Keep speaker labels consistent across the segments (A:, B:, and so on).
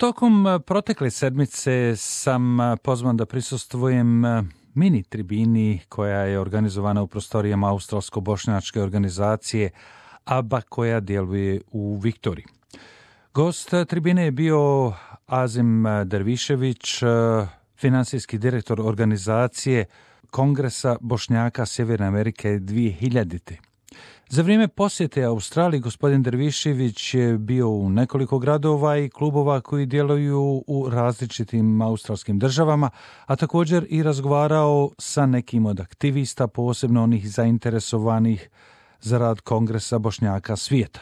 A: Tokom protekle sedmice sam pozvan da prisustvujem mini tribini koja je organizovana u prostorijama australsko-bošnjačke organizacije ABA koja djeluje u Viktoriji. Gost tribine je bio Azim Dervišević, finansijski direktor organizacije Kongresa Bošnjaka Sjeverne Amerike 2000. Za vrijeme posjete Australiji gospodin Dervišević je bio u nekoliko gradova i klubova koji djeluju u različitim australskim državama, a također i razgovarao sa nekim od aktivista, posebno onih zainteresovanih za rad Kongresa Bošnjaka svijeta.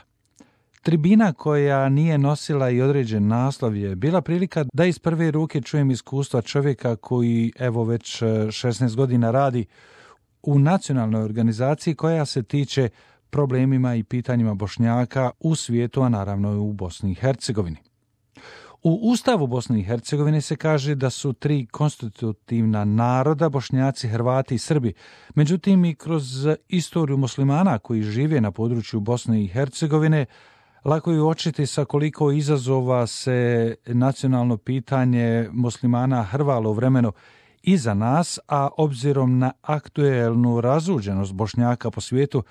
A: Tribina koja nije nosila i određen naslov je bila prilika da iz prve ruke čujem iskustva čovjeka koji evo već 16 godina radi u nacionalnoj organizaciji koja se tiče problemima i pitanjima Bošnjaka u svijetu, a naravno i u Bosni i Hercegovini. U Ustavu Bosne i Hercegovine se kaže da su 3 konstitutivna naroda, Bošnjaci, Hrvati i Srbi. Međutim, i kroz istoriju muslimana koji žive na području Bosne i Hercegovine, lako je uočiti sa koliko izazova se nacionalno pitanje muslimana hrvalo u vremenu iza nas, a obzirom na aktuelnu razuđenost Bošnjaka po svijetu,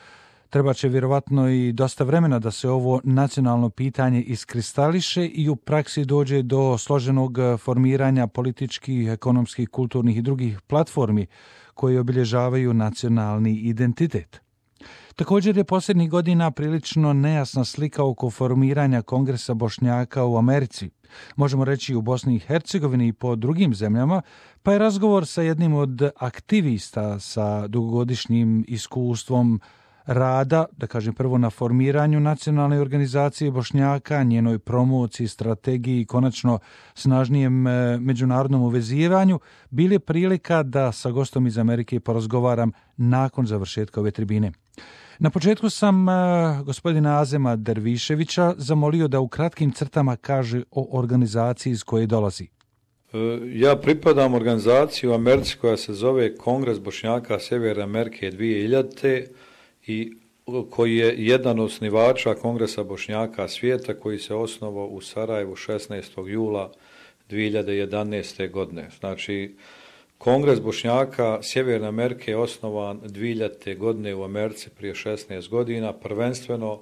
A: treba će vjerovatno i dosta vremena da se ovo nacionalno pitanje iskristališe i u praksi dođe do složenog formiranja političkih, ekonomskih, kulturnih i drugih platformi koje obilježavaju nacionalni identitet. Također je posljednjih godina prilično nejasna slika oko formiranja Kongresa Bošnjaka u Americi, možemo reći u Bosni i Hercegovini i po drugim zemljama, pa je razgovor sa jednim od aktivista sa dugogodišnjim iskustvom rada, da kažem prvo na formiranju nacionalne organizacije Bošnjaka, njenoj promociji, strategiji i konačno snažnijem međunarodnom uvezivanju, bili prilika da sa gostom iz Amerike porazgovaram nakon završetka ove tribine. Na početku sam gospodina Azema Derviševića zamolio da u kratkim crtama kaže o organizaciji iz koje dolazi.
B: Ja pripadam organizaciji u Americi koja se zove Kongres Bošnjaka Sjeverne Amerike 2000. i koji je jedan od osnivača Kongresa Bošnjaka svijeta koji se osnovao u Sarajevu 16. jula 2011. godine. Znači, Kongres Bošnjaka Sjeverne Amerike je osnovan 2000. godine u Americi prije 16 godina, prvenstveno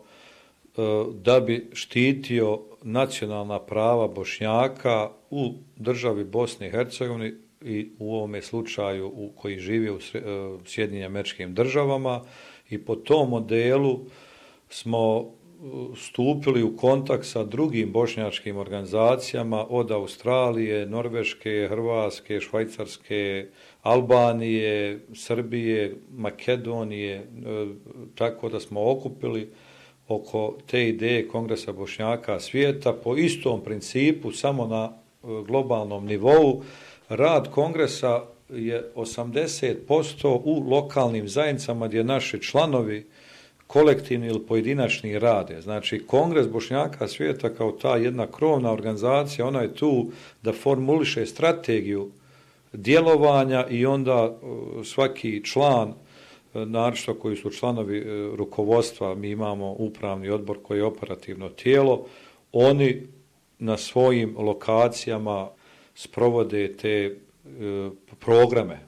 B: da bi štitio nacionalna prava Bošnjaka u državi Bosne i Hercegovine i u ovome slučaju koji živi u Sjedinjenim Američkim Državama. I po tom modelu smo stupili u kontakt sa drugim bošnjačkim organizacijama od Australije, Norveške, Hrvatske, Švajcarske, Albanije, Srbije, Makedonije, tako da smo okupili oko te ideje Kongresa Bošnjaka svijeta po istom principu, samo na globalnom nivou. Rad Kongresa je 80% u lokalnim zajednicama gdje naši članovi kolektivni ili pojedinačni rade. Znači, Kongres Bošnjaka svijeta kao ta jedna krovna organizacija, ona je tu da formuliše strategiju djelovanja i onda svaki član, naročito koji su članovi rukovodstva, mi imamo upravni odbor koji je operativno tijelo, oni na svojim lokacijama sprovode te programe.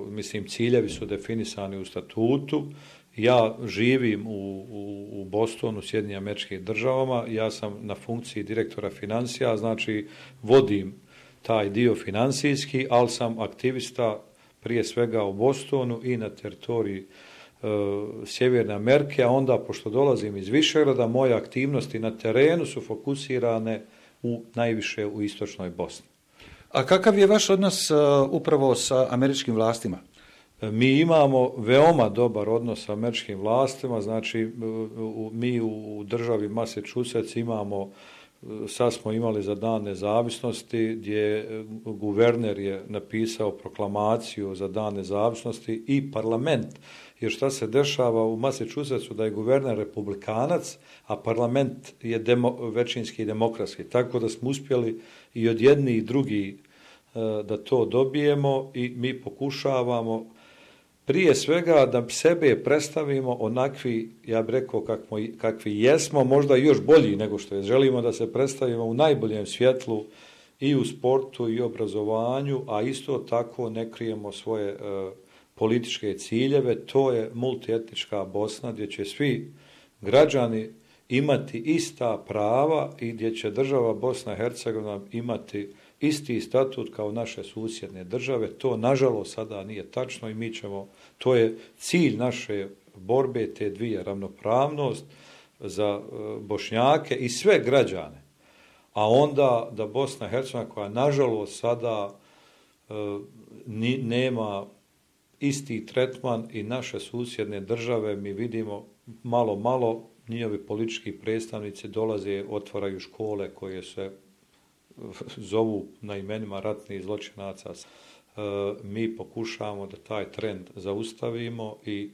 B: Mislim, ciljevi su definisani u statutu. Ja živim u Bostonu, Sjedinjenim Američkim Državama, ja sam na funkciji direktora financija, znači vodim taj dio financijski, ali sam aktivista prije svega u Bostonu i na teritoriji Sjeverne Amerike, a onda, pošto dolazim iz Višegrada, moje aktivnosti na terenu su fokusirane najviše u istočnoj Bosni.
C: A kakav je vaš odnos upravo sa američkim vlastima?
B: Mi imamo veoma dobar odnos sa američkim vlastima, znači mi u državi Massachusetts imamo, sad smo imali za Dan nezavisnosti gdje guverner je napisao proklamaciju za Dan nezavisnosti i parlament, jer šta se dešava u Massachusettsu da je guverner republikanac, a parlament je većinski demokratski, tako da smo uspjeli i od jedni i drugi da to dobijemo i mi pokušavamo prije svega da sebe predstavimo onakvi, ja bih rekao, kakvi jesmo, možda još bolji nego što je. Želimo da se predstavimo u najboljem svjetlu i u sportu i obrazovanju, a isto tako ne krijemo svoje političke ciljeve. To je multietnička Bosna gdje će svi građani imati ista prava i gdje će država Bosna i Hercegovina imati isti statut kao naše susjedne države. To nažalost sada nije tačno i to je cilj naše borbe, te dvije, ravnopravnost za Bošnjake i sve građane. A onda da Bosna i Hercegovina, koja nažalost sada nema isti tretman i naše susjedne države, mi vidimo malo njihovi politički predstavnici dolaze, otvaraju škole koje se zovu na imenima ratnih zločinaca. Mi pokušavamo da taj trend zaustavimo i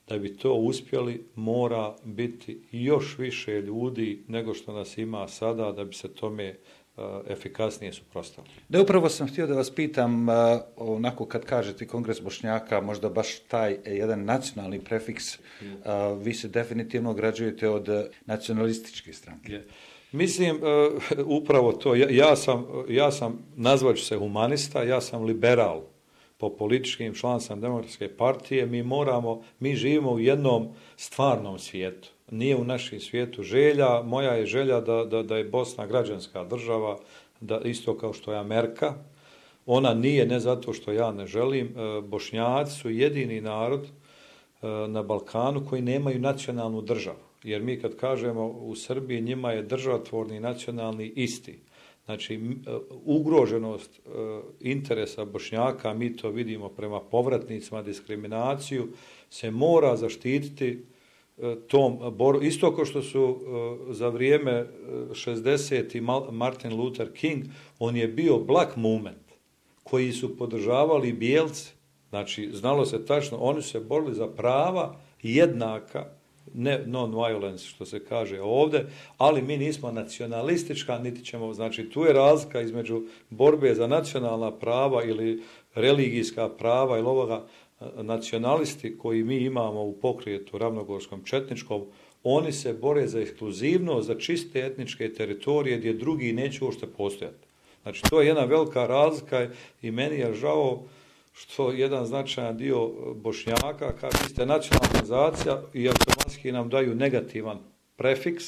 B: da bi to uspjeli mora biti još više ljudi nego što nas ima sada da bi se tome efikasnije suprotstavili.
C: Da, upravo sam htio da vas pitam, onako kad kažete Kongres Bošnjaka, možda baš taj jedan nacionalni prefiks, vi se definitivno ograđujete od nacionalističke stranke.
B: Mislim, upravo to. Ja sam, nazvaću se humanista, ja sam liberal po političkim, član sam Demokratske partije. Mi živimo u jednom stvarnom svijetu. Nije u našem svijetu želja. Moja je želja da je Bosna građanska država, da isto kao što je Amerika. Ona nije, ne zato što ja ne želim. Bošnjaci su jedini narod na Balkanu koji nemaju nacionalnu državu. Jer mi kad kažemo u Srbiji, njima je državotvorni i nacionalni isti. Znači, ugroženost interesa Bošnjaka, mi to vidimo prema povratnicima, diskriminaciju, se mora zaštititi tom boru. Isto kao što su za vrijeme 60. Martin Luther King, on je bio black movement, koji su podržavali bijelci. Znači, znalo se tačno, oni su se borili za prava jednaka, ne non-violence, što se kaže ovdje, ali mi nismo nacionalistička, niti ćemo, znači tu je razlika između borbe za nacionalna prava ili religijska prava ili ovoga. Nacionalisti koji mi imamo u pokretu ravnogorskom četničkom, oni se bore za ekskluzivnost, za čiste etničke teritorije gdje drugi neće uopšte postojati. Znači to je jedna velika razlika i meni je žao što jedan značajan dio Bošnjaka, kaže, vi ste nacionalna organizacija i automatski nam daju negativan prefiks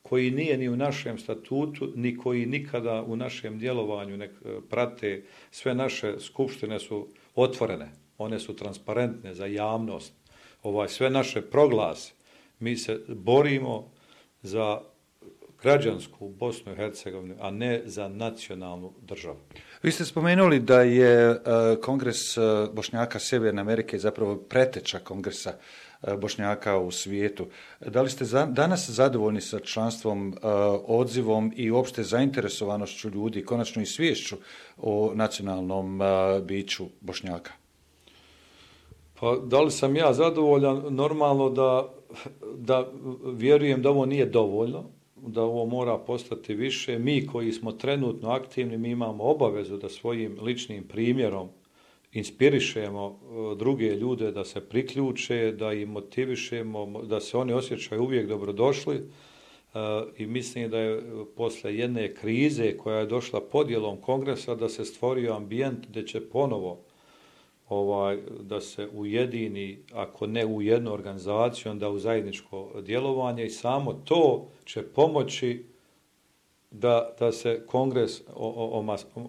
B: koji nije ni u našem statutu, ni koji nikada u našem djelovanju ne prate. Sve naše skupštine su otvorene, one su transparentne za javnost. Sve naše proglase, mi se borimo za građansku Bosnu i Hercegovinu, a ne za nacionalnu državu.
C: Vi ste spomenuli da je Kongres Bošnjaka Sjeverne Amerike zapravo preteča Kongresa Bošnjaka u svijetu. Da li ste danas zadovoljni sa članstvom, odzivom i uopšte zainteresovanošću ljudi, konačno i sviješću o nacionalnom biću Bošnjaka?
B: Pa da li sam ja zadovoljan? Normalno da vjerujem da ovo nije dovoljno, da ovo mora postati više. Mi koji smo trenutno aktivni, mi imamo obavezu da svojim ličnim primjerom inspirišemo druge ljude da se priključe, da ih motivišemo, da se oni osjećaju uvijek dobrodošli. I mislim da je posle jedne krize koja je došla podjelom kongresa da se stvorio ambijent gdje će ponovo da se ujedini, ako ne u jednu organizaciju, onda u zajedničko djelovanje i samo to će pomoći da se kongres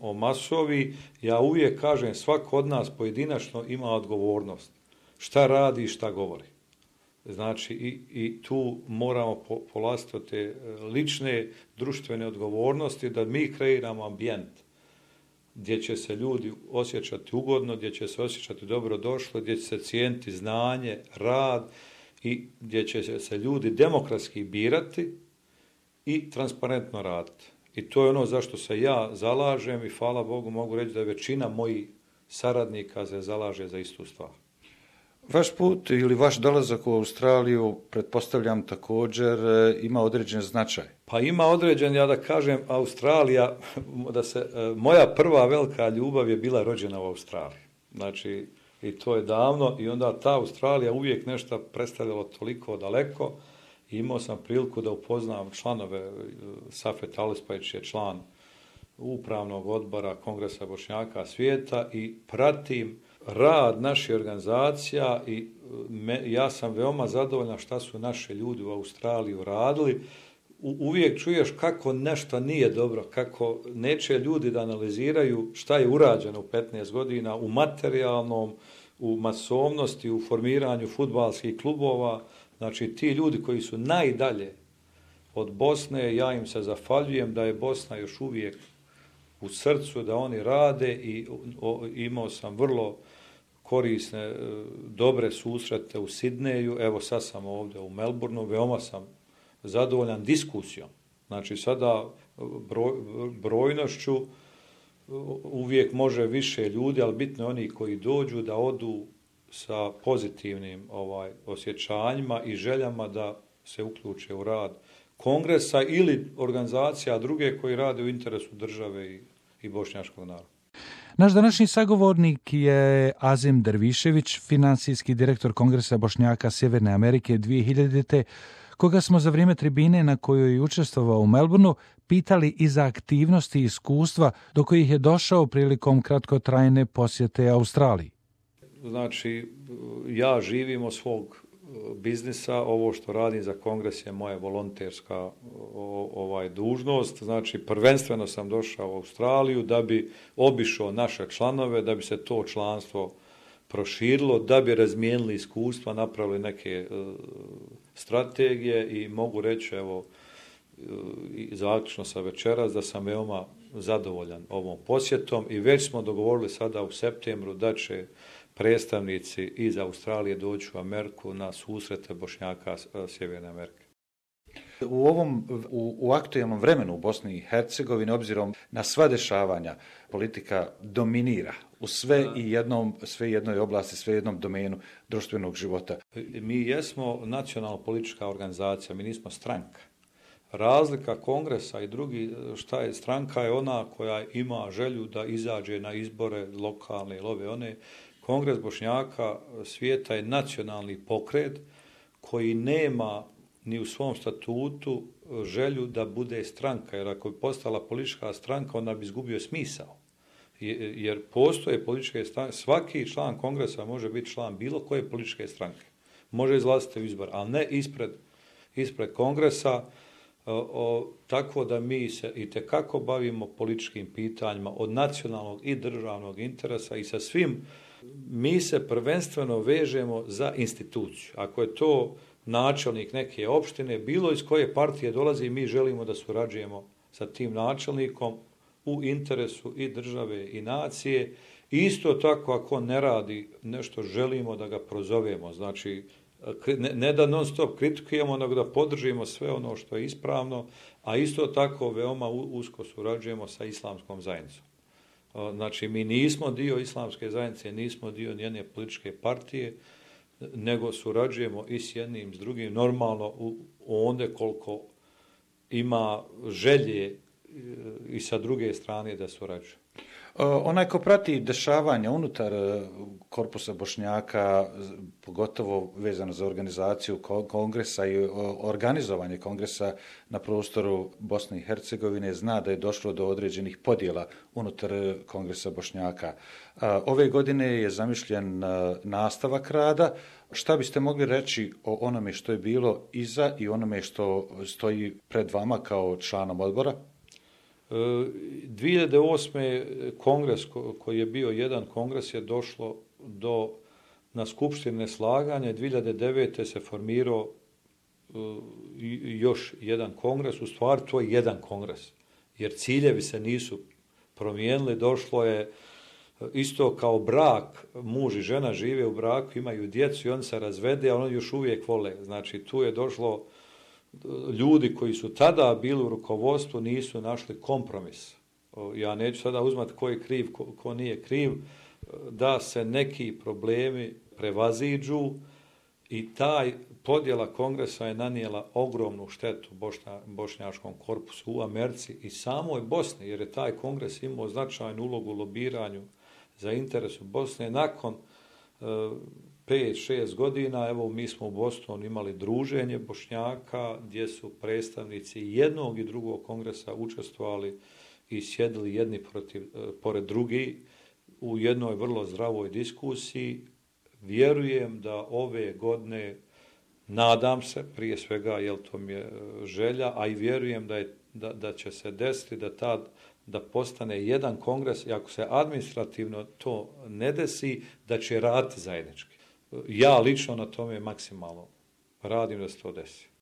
B: omasovi. Ja uvijek kažem, svako od nas pojedinačno ima odgovornost. Šta radi i šta govori. Znači i tu moramo polaziti od te lične društvene odgovornosti da mi kreiramo ambijent gdje će se ljudi osjećati ugodno, gdje će se osjećati dobrodošlo, gdje će se cijeniti znanje, rad i gdje će se ljudi demokratski birati i transparentno raditi. I to je ono zašto se ja zalažem i hvala Bogu mogu reći da je većina mojih saradnika se zalaže za istu stvar.
C: Vaš put ili vaš dolazak u Australiju, pretpostavljam također, ima određen značaj.
B: Pa ima određen, ja da kažem, Australija, moja prva velika ljubav je bila rođena u Australiji. Znači, i to je davno i onda ta Australija uvijek nešto predstavljalo toliko daleko i imao sam priliku da upoznam članove, Safet Alispajć je član upravnog odbora Kongresa Bošnjaka svijeta i pratim rad naših organizacija i ja sam veoma zadovoljan šta su naši ljudi u Australiji uradili. Uvijek čuješ kako nešto nije dobro, kako neće ljudi da analiziraju šta je urađeno u 15 godina u materijalnom, u masovnosti, u formiranju fudbalskih klubova. Znači ti ljudi koji su najdalje od Bosne, ja im se zahvaljujem da je Bosna još uvijek u srcu, da oni rade i imao sam vrlo korisne, dobre susrete u Sidneju, evo sad sam ovdje u Melbourneu, veoma sam zadovoljan diskusijom. Znači sada brojnošću uvijek može više ljudi, ali bitno je oni koji dođu da odu sa pozitivnim osjećanjima i željama da se uključe u rad kongresa ili organizacija druge koji rade u interesu države i bošnjačkog naroda.
A: Naš današnji sagovornik je Azim Dervišević, finansijski direktor Kongresa Bošnjaka Sjeverne Amerike 2000. koga smo za vrijeme tribine na kojoj je učestvovao u Melbourneu pitali i za aktivnosti i iskustva do kojih je došao prilikom kratkotrajne posjete Australiji.
B: Znači, ja živim od svog biznisa, ovo što radim za Kongres je moja volonterska dužnost, znači prvenstveno sam došao u Australiju da bi obišao naše članove, da bi se to članstvo proširilo, da bi razmijenili iskustva, napravili neke strategije i mogu reći, evo, zaključno sa večeras, da sam veoma zadovoljan ovom posjetom i već smo dogovorili sada u septembru da će predstavnici iz Australije doći u Ameriku na susrete Bošnjaka Sjeverne Amerike.
C: U aktualnom vremenu u Bosni i Hercegovini, obzirom na sva dešavanja, politika dominira u sve jednoj oblasti, sve jednom domenu društvenog života.
B: Mi jesmo nacionalna politička organizacija, mi nismo stranka. Razlika kongresa i drugi, šta je stranka, je ona koja ima želju da izađe na izbore lokalne ili ove one. Kongres Bošnjaka svijeta je nacionalni pokret koji nema ni u svom statutu želju da bude stranka, jer ako bi postala politička stranka, ona bi izgubio smisao. Jer postoje političke stranke, svaki član kongresa može biti član bilo koje političke stranke. Može izlaziti u izbor, ali ne ispred kongresa, tako da mi se itekako bavimo političkim pitanjima od nacionalnog i državnog interesa i sa svim. Mi se prvenstveno vežemo za instituciju. Ako je to načelnik neke opštine, bilo iz koje partije dolazi, mi želimo da surađujemo sa tim načelnikom u interesu i države i nacije. Isto tako, ako ne radi nešto, želimo da ga prozovemo. Znači, ne da non stop kritikujemo, nego da podržimo sve ono što je ispravno, a isto tako veoma usko surađujemo sa islamskom zajednicom. Znači, mi nismo dio islamske zajednice, nismo dio njene političke partije, nego surađujemo i s jednim, s drugim, normalno onda koliko ima želje i sa druge strane da surađuje.
C: Onaj ko prati dešavanja unutar korpusa Bošnjaka, pogotovo vezano za organizaciju kongresa i organizovanje kongresa na prostoru Bosne i Hercegovine, zna da je došlo do određenih podjela unutar kongresa Bošnjaka. Ove godine je zamišljen nastavak rada. Šta biste mogli reći o onome što je bilo iza i onome što stoji pred vama kao članom odbora?
B: 2008. kongres koji je bio jedan kongres je došlo na skupštine neslaganja. 2009. se formirao još jedan kongres. U stvari to je jedan kongres, jer ciljevi se nisu promijenili. Došlo je isto kao brak, muž i žena žive u braku, imaju djecu i oni se razvede, a oni još uvijek vole. Znači tu je došlo ljudi koji su tada bili u rukovodstvu nisu našli kompromis. Ja neću sada uzmati ko je kriv, ko nije kriv, da se neki problemi prevaziđu i taj podjela kongresa je nanijela ogromnu štetu bošnjačkom korpusu u Americi i samoj Bosni, jer je taj kongres imao značajnu ulogu u lobiranju za interes u Bosne. Nakon 5-6 godina, evo mi smo u Bostonu imali druženje Bošnjaka gdje su predstavnici jednog i drugog kongresa učestvovali i sjedili jedni pored drugi u jednoj vrlo zdravoj diskusiji. Vjerujem da ove godine, nadam se prije svega, jer to mi je želja, a i vjerujem da će se desiti da postane jedan kongres i ako se administrativno to ne desi, da će raditi zajednički. Ja lično na tome maksimalno radim da se to desi.